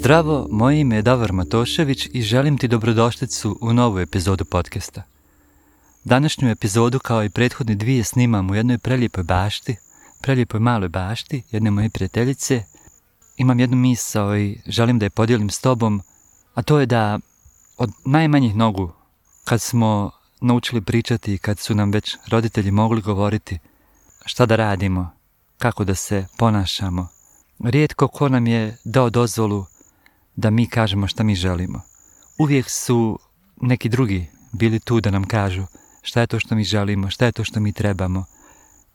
Zdravo, moje ime je Davor Matošević i želim ti dobrodošlicu u novu epizodu podcasta. Današnju epizodu, kao i prethodne dvije, snimam u jednoj prelijepoj maloj bašti, jedne moje prijateljice. Imam jednu misao i želim da je podijelim s tobom, a to je da od najmanjih nogu, kad smo naučili pričati i kad su nam već roditelji mogli govoriti šta da radimo, kako da se ponašamo, rijetko ko nam je dao dozvolu da mi kažemo šta mi želimo. Uvijek su neki drugi bili tu da nam kažu šta je to što mi želimo, šta je to što mi trebamo,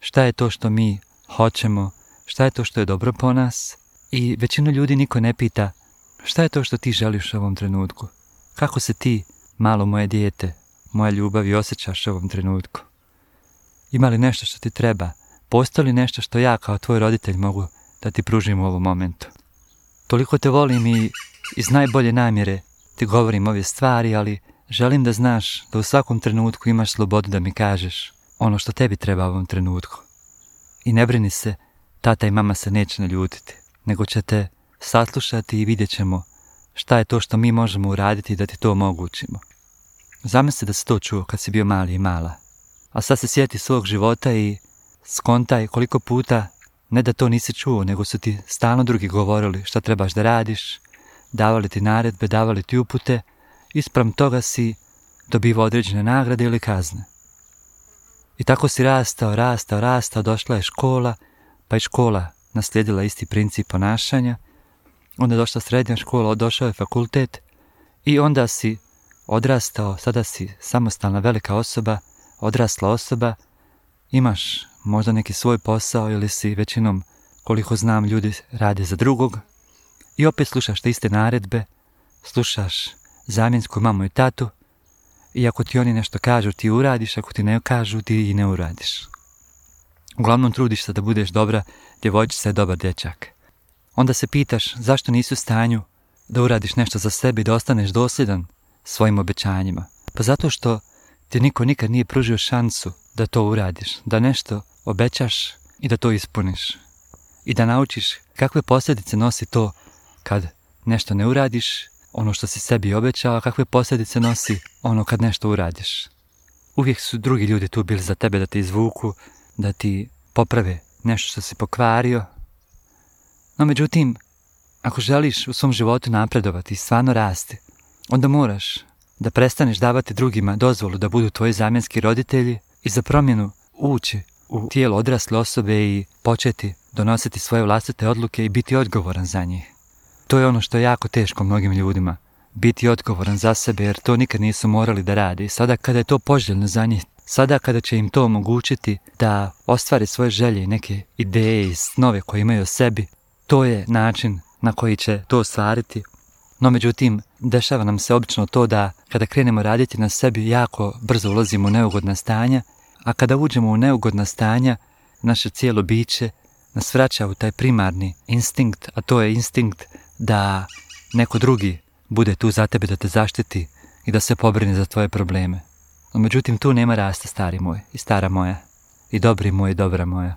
šta je to što mi hoćemo, šta je to što je dobro po nas. I većinu ljudi niko ne pita šta je to što ti želiš u ovom trenutku. Kako se ti, malo moje dijete, moja ljubav, osjećaš u ovom trenutku? Ima li nešto što ti treba? Postoji li nešto što ja kao tvoj roditelj mogu da ti pružim u ovom momentu? Toliko te volim i iz najbolje namjere ti govorim ove stvari, ali želim da znaš da u svakom trenutku imaš slobodu da mi kažeš ono što tebi treba u ovom trenutku. I ne brini se, tata i mama se neće naljutiti, nego će te saslušati i vidjet ćemo šta je to što mi možemo uraditi da ti to omogućimo. Zamisli da si to čuo kad si bio mali i mala, a sad se sjeti svog života i skontaj koliko puta ne da to nisi čuo, nego su ti stalno drugi govorili šta trebaš da radiš, davali ti naredbe, davali ti upute, ispram toga si dobivao određene nagrade ili kazne. I tako si rastao, došla je škola, pa je škola naslijedila isti princip ponašanja, onda je došla srednja škola, došao je fakultet i onda si odrastao, sada si samostalna velika osoba, odrasla osoba, imaš možda neki svoj posao ili si većinom, koliko znam, ljudi rade za drugog i opet slušaš te iste naredbe, slušaš zamjensku mamu i tatu i ako ti oni nešto kažu ti uradiš, ako ti ne kažu ti i ne uradiš. Uglavnom trudiš se da budeš dobra djevojčica i dobar dječak. Onda se pitaš zašto nisi u stanju da uradiš nešto za sebe i da ostaneš dosljedan svojim obećanjima. Pa zato što ti niko nikad nije pružio šansu da to uradiš, da nešto obećaš i da to ispuniš. I da naučiš kakve posljedice nosi to kad nešto ne uradiš, ono što si sebi obećao, a kakve posljedice nosi ono kad nešto uradiš. Uvijek su drugi ljudi tu bili za tebe da te izvuku, da ti poprave nešto što si pokvario. No međutim, ako želiš u svom životu napredovati i stvarno rasti, onda moraš da prestaneš davati drugima dozvolu da budu tvoji zamjenski roditelji i za promjenu ući u tijelo odrasle osobe i početi donositi svoje vlastite odluke i biti odgovoran za njih. To je ono što je jako teško mnogim ljudima, biti odgovoran za sebe jer to nikad nisu morali da rade. I sada kada je to poželjno za njih, sada kada će im to omogućiti da ostvare svoje želje i neke ideje i snove koje imaju o sebi, to je način na koji će to ostvariti. No međutim, dešava nam se obično to da kada krenemo raditi na sebi jako brzo ulazimo u neugodna stanja, a kada uđemo u neugodna stanja, naše cijelo biće nas vraća u taj primarni instinkt, a to je instinkt da neko drugi bude tu za tebe da te zaštiti i da se pobrine za tvoje probleme. No međutim, tu nema rasta, stari moj i stara moja, i dobri moj i dobra moja.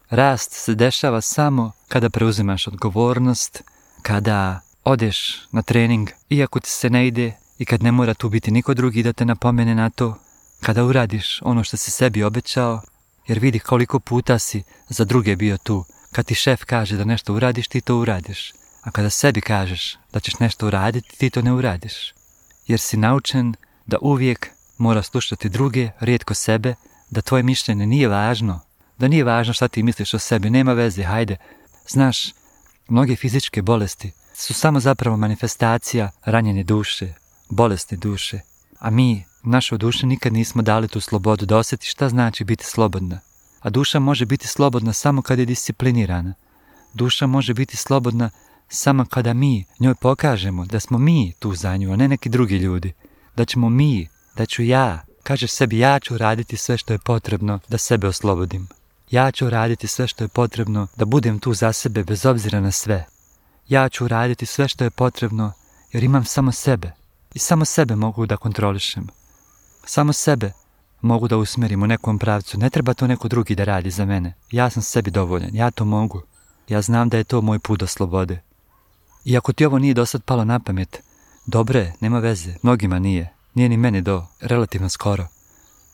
Rast se dešava samo kada preuzimaš odgovornost, kada odeš na trening, iako ti se ne ide i kad ne mora tu biti niko drugi da te napomene na to, kada uradiš ono što si sebi obećao, jer vidi koliko puta si za druge bio tu. Kad ti šef kaže da nešto uradiš, ti to uradiš. A kada sebi kažeš da ćeš nešto uraditi, ti to ne uradiš. Jer si naučen da uvijek mora slušati druge, rijetko sebe, da tvoje mišljenje nije važno, da nije važno šta ti misliš o sebi, nema veze, hajde. Znaš, mnoge fizičke bolesti su samo zapravo manifestacija ranjene duše, bolesti duše. A mi, našoj duši, nikad nismo dali tu slobodu da osjeti šta znači biti slobodna. A duša može biti slobodna samo kada je disciplinirana. Duša može biti slobodna samo kada mi njoj pokažemo da smo mi tu za nju, a ne neki drugi ljudi. Da ćemo mi, da ću ja, kažeš sebi ja ću raditi sve što je potrebno da sebe oslobodim. Ja ću raditi sve što je potrebno da budem tu za sebe bez obzira na sve. Ja ću raditi sve što je potrebno jer imam samo sebe. I samo sebe mogu da kontrolišem. Samo sebe mogu da usmjerim u nekom pravcu. Ne treba to neko drugi da radi za mene. Ja sam sebi dovoljan. Ja to mogu. Ja znam da je to moj put do slobode. I ako ti ovo nije do sad palo na pamet, dobro je, nema veze, mnogima nije ni meni do relativno skoro.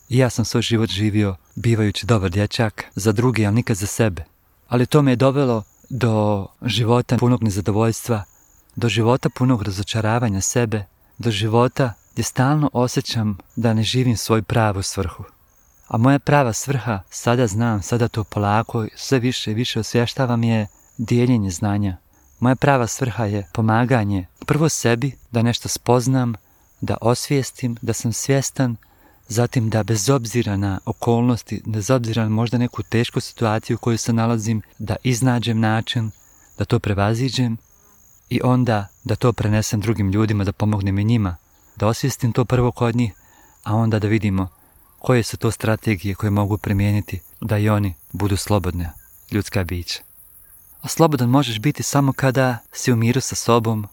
I ja sam svoj život živio bivajući dobar dječak za druge, ali nikad za sebe. Ali to me je dovelo do života punog nezadovoljstva, do života punog razočaravanja sebe, do života gdje stalno osjećam da ne živim svoju pravu svrhu. A moja prava svrha, sada znam, sada to polako, sve više i više osvještavam, je dijeljenje znanja. Moja prava svrha je pomaganje prvo sebi, da nešto spoznam, da osvijestim, da sam svjestan, zatim da bez obzira na okolnosti, bez obzira na možda neku tešku situaciju u kojoj se nalazim, da iznađem način, da to prevaziđem i onda da to prenesem drugim ljudima, da pomognem i njima, da osvijestim to prvo kod njih, a onda da vidimo koje su to strategije koje mogu primijeniti da i oni budu slobodna ljudska bića. A slobodan možeš biti samo kada si u miru sa sobom,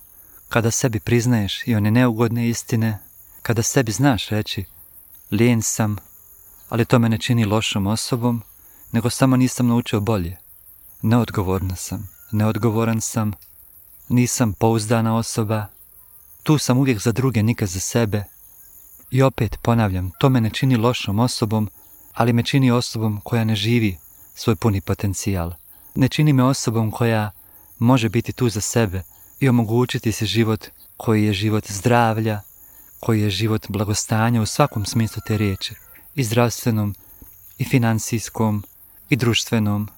kada sebi priznaješ i one neugodne istine, kada sebi znaš reći lijen sam, ali to me ne čini lošom osobom, nego samo nisam naučio bolje. Neodgovoran sam, nisam pouzdana osoba, tu sam uvijek za druge, nikad za sebe. I opet ponavljam, to me ne čini lošom osobom, ali me čini osobom koja ne živi svoj puni potencijal. Ne čini me osobom koja može biti tu za sebe i omogućiti si život koji je život zdravlja, koji je život blagostanja u svakom smislu te riječi, i zdravstvenom, i financijskom, i društvenom.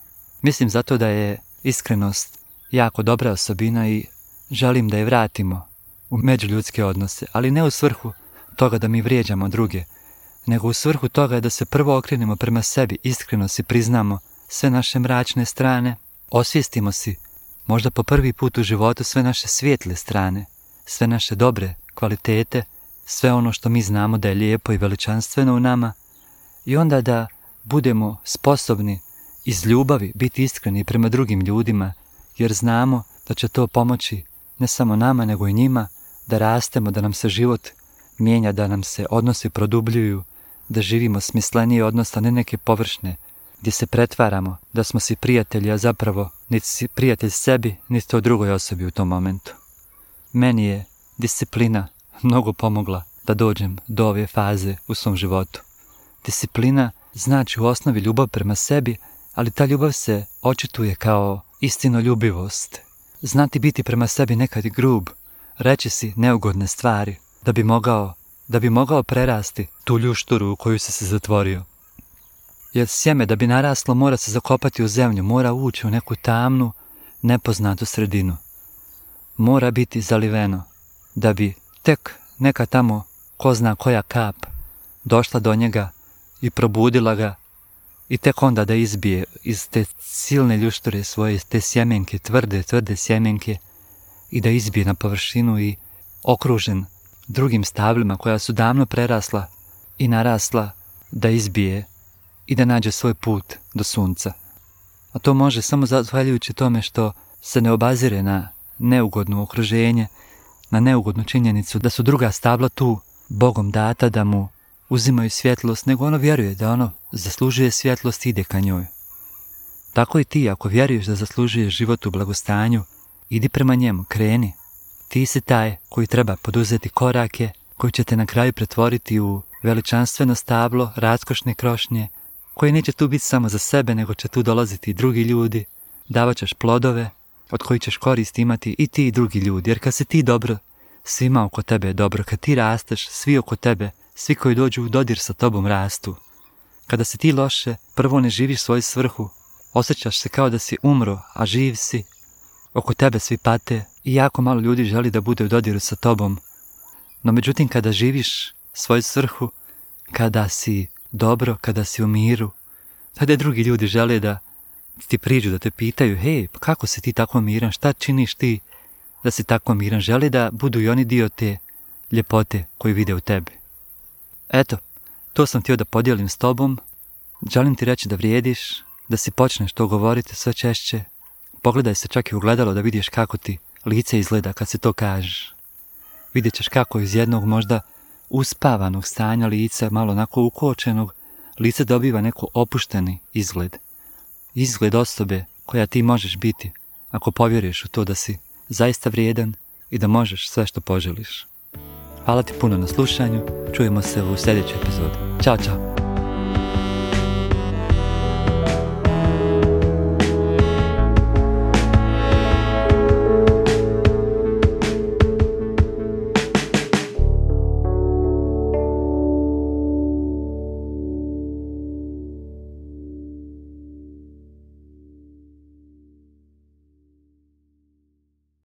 Mislim zato da je iskrenost jako dobra osobina i želim da je vratimo u međuljudske odnose, ali ne u svrhu toga da mi vrijeđamo druge, nego u svrhu toga da se prvo okrenemo prema sebi, iskreno si priznamo sve naše mračne strane, osvijestimo si možda po prvi put u životu sve naše svijetle strane, sve naše dobre kvalitete, sve ono što mi znamo da je lijepo i veličanstveno u nama, i onda da budemo sposobni iz ljubavi biti iskreni prema drugim ljudima, jer znamo da će to pomoći ne samo nama nego i njima, da rastemo, da nam se život mijenja, da nam se odnosi produbljuju, da živimo smislenije odnos, a ne neke površne, gdje se pretvaramo da smo si prijatelji, a zapravo niti si prijatelj sebi, niti to drugoj osobi u tom momentu. Meni je disciplina mnogo pomogla da dođem do ove faze u svom životu. Disciplina znači u osnovi ljubav prema sebi, ali ta ljubav se očituje kao istinoljubivost. Znati biti prema sebi nekad grub, reći si neugodne stvari, da bi mogao prerasti tu ljušturu u koju si se zatvorio. Jer sjeme da bi naraslo mora se zakopati u zemlju, mora ući u neku tamnu, nepoznatu sredinu. Mora biti zaliveno, da bi tek neka tamo, ko zna koja kap, došla do njega i probudila ga, i tek onda da izbije iz te silne ljušture svoje, te sjemenke, tvrde sjemenke, i da izbije na površinu i okružen drugim stablima koja su davno prerasla i narasla, da izbije i da nađe svoj put do sunca. A to može samo zahvaljujući tome što se ne obazire na neugodno okruženje, na neugodnu činjenicu da su druga stabla tu Bogom data da mu uzimaju svjetlost, nego ono vjeruje da ono zaslužuje svjetlost i ide ka njoj. Tako i ti, ako vjeruješ da zaslužuješ život u blagostanju, idi prema njemu, kreni. Ti si taj koji treba poduzeti korake koji će te na kraju pretvoriti u veličanstveno stablo, raskošne krošnje, koji neće tu biti samo za sebe, nego će tu dolaziti i drugi ljudi, davat ćeš plodove od kojih ćeš korist imati i ti i drugi ljudi, jer kad si ti dobro, svima oko tebe je dobro. Kad ti rasteš, svi oko tebe, svi koji dođu u dodir sa tobom rastu. Kada si ti loše, prvo ne živiš svoju svrhu, osjećaš se kao da si umro, a živ si, oko tebe svi pate i jako malo ljudi želi da bude u dodiru sa tobom. No međutim, kada živiš svoju svrhu, kada si dobro, kada si u miru, tada drugi ljudi žele da ti priđu, da te pitaju, hej, kako si ti tako miran, šta činiš ti da si tako miran, žele da budu i oni dio te ljepote koju vide u tebi. Eto, to sam htio da podijelim s tobom, želim ti reći da vrijediš, da si počneš to govoriti sve češće, pogledaj se čak i u gledalo da vidiš kako ti lice izgleda kad se to kažeš. Vidjet ćeš kako iz jednog možda uspavanog stanja lica, malo onako ukočenog, lice dobiva neko opušteni izgled. Izgled osobe koja ti možeš biti ako povjeriš u to da si zaista vrijedan i da možeš sve što poželiš. Hvala ti puno na slušanju, čujemo se u sljedećoj epizodi. Ćao, čao!